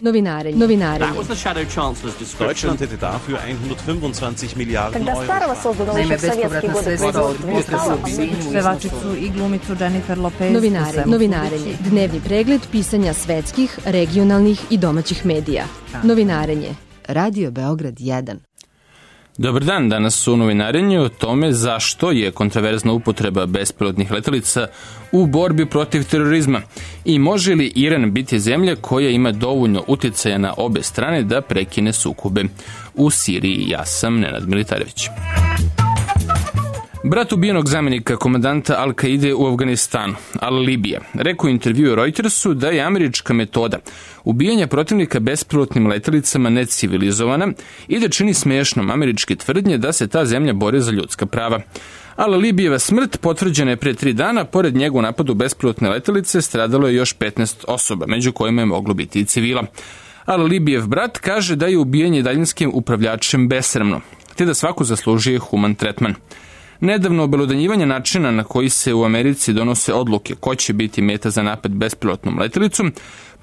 Novinarenje. Deutschland hätte dafür 125 Milijardi euro. Naime, bespovratna sredstva od potresa u Sinju. Pevačicu i glumicu Jennifer Lopez. Novinarenje. Dnevni pregled pisanja svetskih, regionalnih i domaćih medija. Novinarenje. Radio Beograd 1. Dobar dan, danas u novinarenju o tome zašto je kontraverzna upotreba bespilotnih letelica u borbi protiv terorizma i može li Iran biti zemlja koja ima dovoljno uticaja na obe strane da prekine sukobe u Siriji. Ja sam Nenad Militarević. Brat ubijenog zamjenika komandanta Al-Kaide u Afganistanu, Al-Libija, rekao u intervjuu Reutersu da je američka metoda ubijanja protivnika bespilotnim letelicama necivilizovana i da čini smiješnom američke tvrdnje da se ta zemlja bori za ljudska prava. Al-Libijeva smrt potvrđena je prije 3 dana, pored njega u napadu bespilotne letelice stradalo je još 15 osoba, među kojima je moglo biti i civila. Al-Libijev brat kaže da je ubijanje daljinskim upravljačem besramno, te da svako zaslužuje human tretman. Nedavno obelodanjivanje načina na koji se u Americi donose odluke ko će biti meta za napad bespilotnom letelicom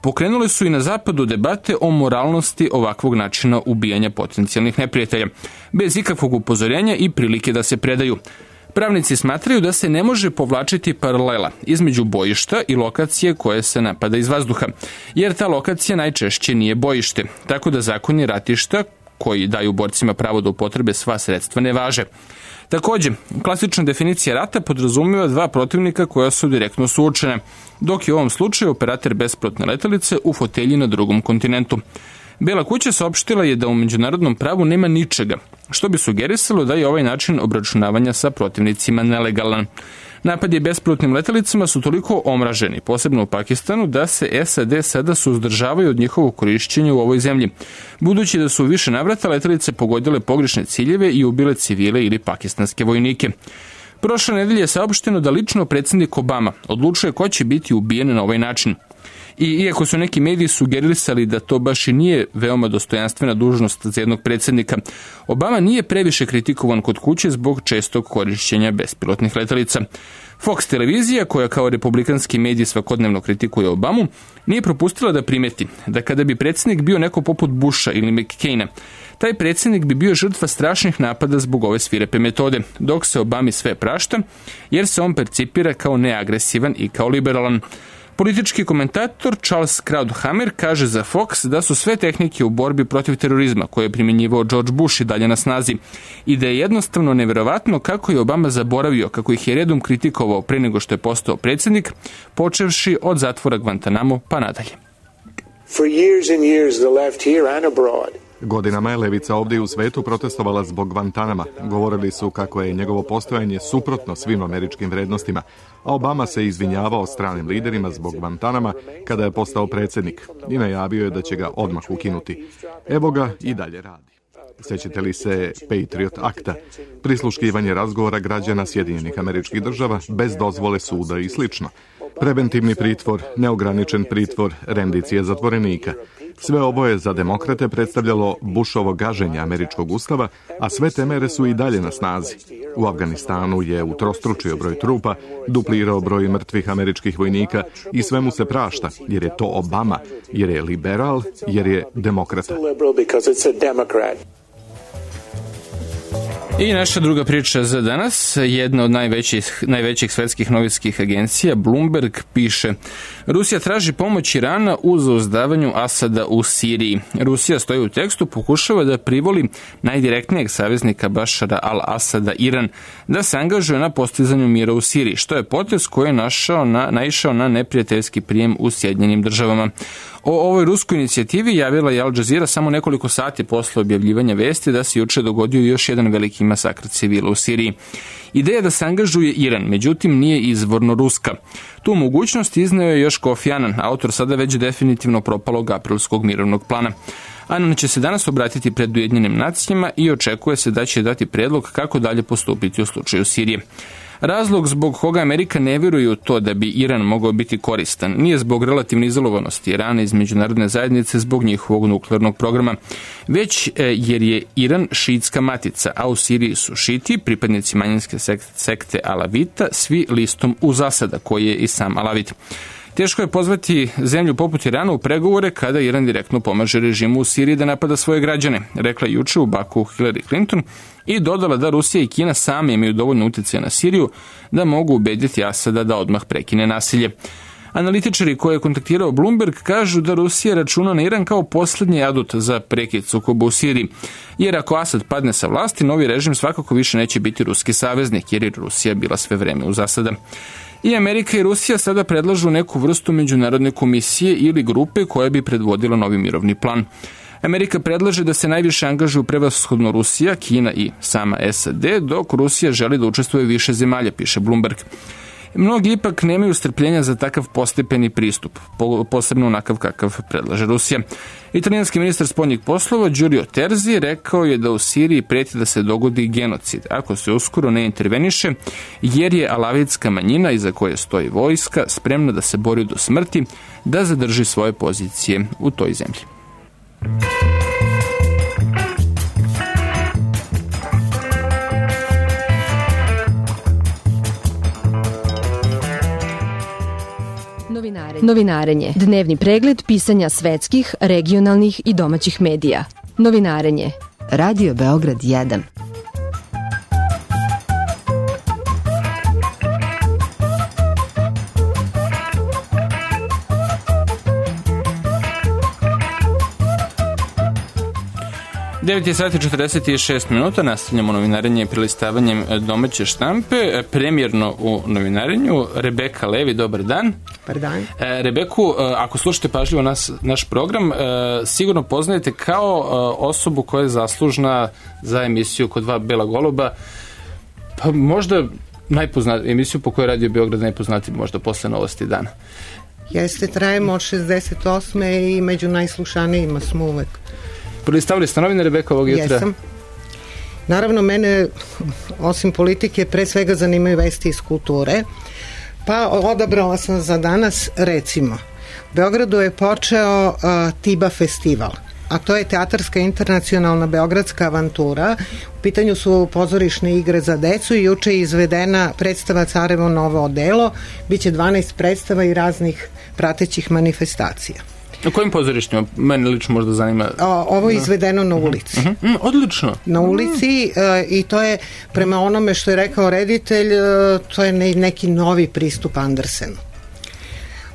pokrenule su i na zapadu debate o moralnosti ovakvog načina ubijanja potencijalnih neprijatelja, bez ikakvog upozorenja i prilike da se predaju. Pravnici smatraju da se ne može povlačiti paralela između bojišta i lokacije koje se napada iz vazduha, jer ta lokacija najčešće nije bojište, tako da zakoni ratišta koji daju borcima pravo da upotrebe sva sredstva ne važe. Također, klasična definicija rata podrazumijeva 2 protivnika koja su direktno suočene, dok je u ovom slučaju operator bespilotne letelice u fotelji na drugom kontinentu. Bela kuća saopštila je da u međunarodnom pravu nema ničega, što bi sugerisalo da je ovaj način obračunavanja sa protivnicima nelegalan. Napadi bespilotnim letelicama su toliko omraženi, posebno u Pakistanu, da se SAD sada suzdržavaju od njihovog korišćenja u ovoj zemlji, budući da su u više navrata letelice pogodile pogrešne ciljeve i ubile civile ili pakistanske vojnike. Prošle nedelje je saopšteno da lično predsjednik Obama odlučuje ko će biti ubijen na ovaj način. I iako su neki mediji sugerisali da to baš i nije veoma dostojanstvena dužnost za jednog predsjednika, Obama nije previše kritikovan kod kuće zbog čestog korišćenja bespilotnih letelica. Fox televizija, koja kao republikanski medij svakodnevno kritikuje Obamu, nije propustila da primeti da kada bi predsjednik bio neko poput Busha ili McCaina, taj predsjednik bi bio žrtva strašnih napada zbog ove svirepe metode, dok se Obami sve prašta, jer se on percipira kao neagresivan i kao liberalan. Politički komentator Charles Krauthammer kaže za Fox da su sve tehnike u borbi protiv terorizma koje je primjenjivao George Bush i dalje na snazi i da je jednostavno nevjerovatno kako je Obama zaboravio kako ih je redom kritikovao pre nego što je postao predsjednik, počevši od zatvora Guantanamo pa nadalje. For years and years the left here and abroad. Godinama je levica ovdje u svetu protestovala zbog Guantanama. Govorili su kako je njegovo postojanje suprotno svim američkim vrednostima, a Obama se izvinjavao stranim liderima zbog Guantanama kada je postao predsjednik i najavio je da će ga odmah ukinuti. Evo ga i dalje radi. Sjećate li se Patriot Akta, prisluškivanje razgovora građana Sjedinjenih Američkih Država bez dozvole suda i slično. Preventivni pritvor, neograničen pritvor, rendicije zatvorenika. Sve ovo je za demokrate predstavljalo Bushovo gaženje američkog ustava, a sve te mere su i dalje na snazi. U Afganistanu je utrostručio broj trupa, duplirao broj mrtvih američkih vojnika i sve mu se prašta, jer je to Obama, jer je liberal, jer je demokrata. I naša druga priča za danas, jedna od najvećih svetskih novinskih agencija, Bloomberg, piše: Rusija traži pomoć Irana u zauzdavanju Asada u Siriji. Rusija, stoji u tekstu, pokušava da privoli najdirektnijeg saveznika Bašara al-Asada, Iran, da se angažuje na postizanju mira u Siriji, što je potez koji je naišao na neprijateljski prijem u Sjedinjenim Državama. O ovoj ruskoj inicijativi javila je Al Jazeera samo nekoliko sati posle objavljivanja vesti da se juče dogodio još jedan veliki masakr civila u Siriji. Ideja da se angažuje Iran, međutim, nije izvorno ruska. Tu mogućnost izneo je još Kofi Annan, autor sada već definitivno propalog aprilskog mirovnog plana. Annan će se danas obratiti pred Ujedinjenim nacijama i očekuje se da će dati predlog kako dalje postupiti u slučaju Sirije. Razlog zbog koga Amerika ne vjeruje u to da bi Iran mogao biti koristan nije zbog relativne izolovanosti Irana iz međunarodne zajednice zbog njihovog nuklearnog programa, već jer je Iran šiitska matica, a u Siriji su šiti, pripadnici manjinske sekte Alavita, svi listom uz Asada, koji je i sam Alavit. Teško je pozvati zemlju poput Irana u pregovore kada Iran direktno pomaže režimu u Siriji da napada svoje građane, rekla juče u Baku Hillary Clinton i dodala da Rusija i Kina sami imaju dovoljno utjecaja na Siriju da mogu ubediti Asada da odmah prekine nasilje. Analitičari koje je kontaktirao Bloomberg kažu da Rusija računa na Iran kao posljednji adut za prekid sukoba u Siriji, jer ako Asad padne sa vlasti, novi režim svakako više neće biti ruski saveznik, jer je Rusija bila sve vreme u zasada. I Amerika i Rusija sada predlažu neku vrstu međunarodne komisije ili grupe koja bi predvodila novi mirovni plan. Amerika predlaže da se najviše angažuju prevashodno Rusija, Kina i sama SAD, dok Rusija želi da učestvuje više zemalja, piše Bloomberg. Mnogi ipak nemaju strpljenja za takav postepeni pristup, posebno onakav kakav predlaže Rusija. Italijanski ministar spoljnih poslova Giulio Terzi rekao je da u Siriji preti da se dogodi genocid ako se uskoro ne interveniše, jer je alavitska manjina iza koje stoji vojska spremna da se bori do smrti da zadrži svoje pozicije u toj zemlji. Novinarenje. Dnevni pregled pisanja svetskih, regionalnih i domaćih medija. Novinarenje. Radio Beograd 1. Devet sati 46 minuta, nastavljamo novinarenje prelistavanjem domaće štampe. Premijerno u novinarenju Rebeka Levi, dobar dan. Dobar dan. Rebeku, ako slušate pažljivo naš program, sigurno poznajete kao osobu koja je zaslužna za emisiju Kod dva bela goluba, pa možda emisiju po kojoj Radio Beograd najpoznati možda posle Novosti dana. Jeste, trajemo od 68. i među najslušanijima smo uvek. Prelistavili ste novine, Rebeka, ovog jutra? Jesam. Naravno, mene, osim politike, pre svega zanimaju vesti iz kulture. Pa odabrala sam za danas, recimo, u Beogradu je počeo Tiba festival, a to je teatarska internacionalna beogradska avantura. U pitanju su pozorišne igre za decu i juče je izvedena predstava Carevo novo odelo. Biće 12 predstava i raznih pratećih manifestacija. Na kojim pozorištima? Mene lično možda zanima. Ovo je izvedeno na ulici. Odlično. Na ulici i to je, prema onome što je rekao reditelj, to je neki novi pristup Andersenu.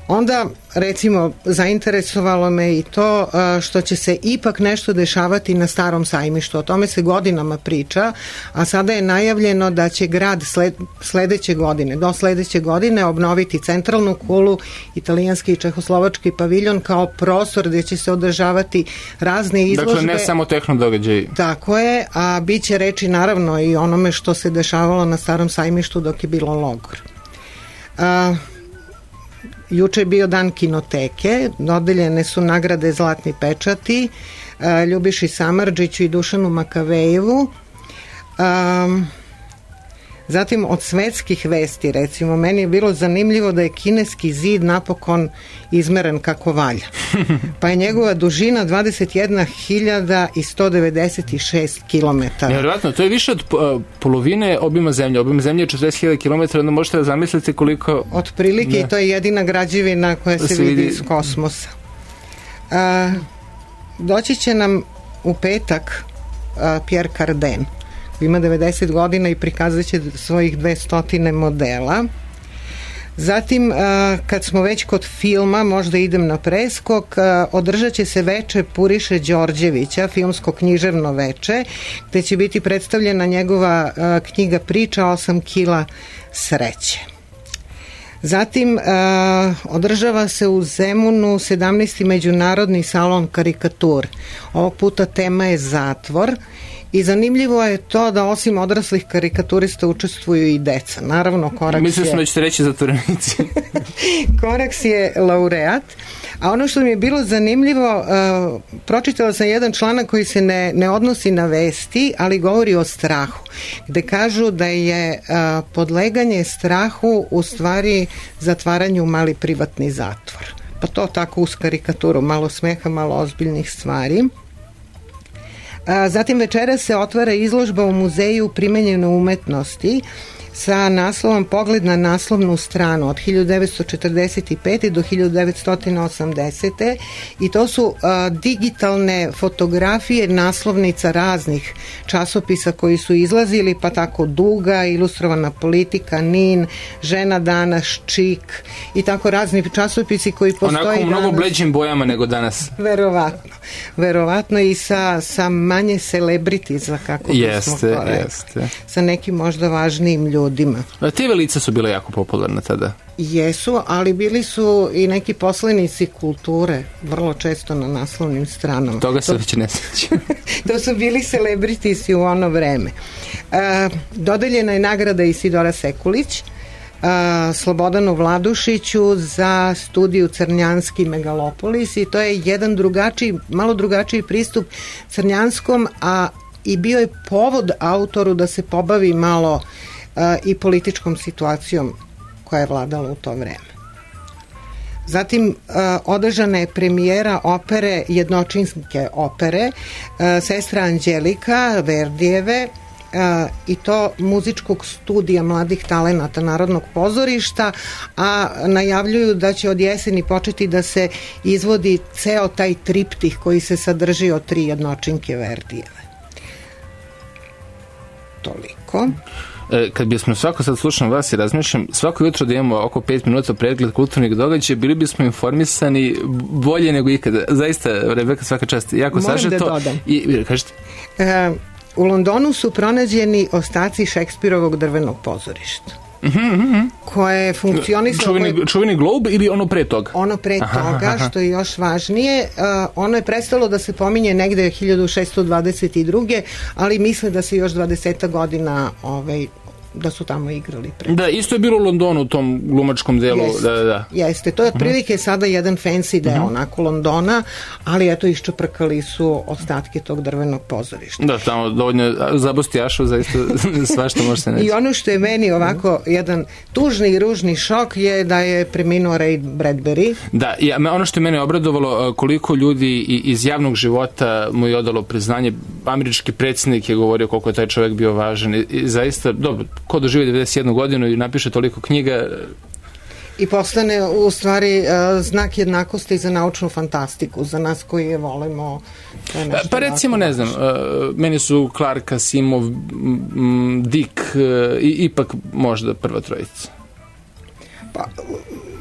Onda, recimo, zainteresovalo me i to što će se ipak nešto dešavati na Starom sajmištu. O tome se godinama priča, a sada je najavljeno da će grad do sledeće godine obnoviti centralnu kulu, italijanski i čehoslovački paviljon kao prostor gdje će se održavati razne izložbe. Dakle, ne samo tehno događaji. Tako je, a bit će reči naravno i onome što se dešavalo na Starom sajmištu dok je bilo logor. Juče je bio dan kinoteke, dodeljene su nagrade Zlatni pečati Ljubiši Samardžiću i Dušanu Makavejevu. Zatim od svetskih vesti, recimo, meni je bilo zanimljivo da je kineski zid napokon izmeren kako valja. Pa je njegova dužina 21.196 km. Nevjerojatno, to je više od polovine obima zemlje. Obim zemlje je 40.000 km, onda možete da zamislite koliko... Otprilike, i to je jedina građevina koja se vidi iz kosmosa. Doći će nam u petak Pierre Cardin. Ima 90 godina i prikazat će svojih 200 modela. Zatim, kad smo već kod filma, možda idem na preskok, održat će se veče Puriše Đorđevića, filmsko književno veče, gde će biti predstavljena njegova knjiga Priča 8 kila sreće. Zatim, održava se u Zemunu 17. međunarodni salon karikatur. Ovog puta tema je zatvor. I zanimljivo je to da osim odraslih karikaturista učestvuju i deca. Naravno, Koraks Mislim da ćete reći zatvorenici. Koraks je laureat. A ono što mi je bilo zanimljivo, pročitala sam jedan članak koji se ne odnosi na vesti, ali govori o strahu. Gde kažu da je podleganje strahu u stvari zatvaranju mali privatni zatvor. Pa to tako uz karikaturu, malo smeha, malo ozbiljnih stvari. Zatim večeras se otvara izložba u muzeju primenjene umetnosti sa naslovom Pogled na naslovnu stranu od 1945. do 1980. I to su digitalne fotografije naslovnica raznih časopisa koji su izlazili, pa tako Duga, Ilustrovana politika, NIN, Žena danas, Čik i tako razni časopisi koji postoji onako danas. Mnogo bleđim bojama nego danas. Verovatno i sa manje celebritiza, kako bismo to rekli. Jeste. Sa nekim možda važnijim ljudima. TV lica su bile jako popularne tada. Jesu, ali bili su i neki poslanici kulture, vrlo često na naslovnim stranama. Toga se već ne sjećam. To su bili celebritisi u ono vreme. Dodeljena je nagrada Isidora Sekulić, Slobodanu Vladušiću za studiju Crnjanski megalopolis i to je jedan drugačiji, malo drugačiji pristup Crnjanskom, a i bio je povod autoru da se pobavi malo i političkom situacijom koja je vladala u to vreme. Zatim održana je premijera opere, jednočinske opere, Sestra Anđelika Verdijeve, i to muzičkog studija mladih talenata Narodnog pozorišta, a najavljuju da će od jeseni početi da se izvodi ceo taj triptih koji se sadrži od 3 jednočinke Verdijeve. Toliko. Kad bismo svako sad slušam vas i razmišljam, svako jutro da imamo oko 5 minuta pregled kulturnih događaja, bili bismo informisani bolje nego ikada. Zaista, Rebeka, svaka čast. Jako sažeto. Moram da dodam. I kažete? U Londonu su pronađeni ostaci Šekspirovog drvenog pozorišta. Koje je funkcionisalo... Čuveni glob ili ono pre toga? Ono pre toga, što je još važnije. Ono je prestalo da se pominje negde 1622. ali misle da se još 20 godina da su tamo igrali pre. Da, isto je bilo u Londonu, u tom glumačkom delu. Jeste, to je otprilike sada jedan fancy deo onako Londona, ali eto iščeprkali su ostatke tog drvenog pozorišta. Da, tamo dovoljno zabostijašo, zaista svašta može se neći. I ono što je meni ovako jedan tužni i ružni šok je da je preminuo Ray Bradbury. Da, ono što je mene obradovalo, koliko ljudi iz javnog života mu je odalo priznanje. Američki predsjednik je govorio koliko je taj čovjek bio važan i zaista, dobro, ko doživi 91 godinu i napiše toliko knjiga... I postane u stvari znak jednakosti za naučnu fantastiku, za nas koji je volimo. Pa recimo, ne znam, meni su Clark, Asimov, Dick i ipak možda prva trojica. Pa,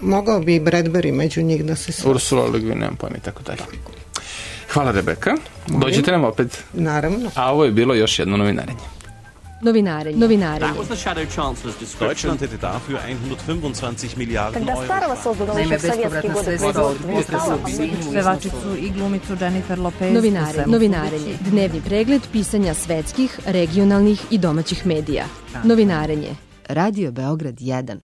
mogao bi i Bradbury među njih da se sve. Ursula Le Guin, nemam pojma i tako dalje. Hvala, Rebeka. Dođete nam opet. Naravno. A ovo je bilo još jedno novinarenje. Novinarenje. Deutschland hätte dafür 125 Milliarden Euro. Naime, bespovratna sredstva od Pevačicu i glumicu Jennifer Lopez. Novinarenje. Dnevni pregled pisanja svetskih, regionalnih i domaćih medija. Novinarenje. Radio Beograd 1.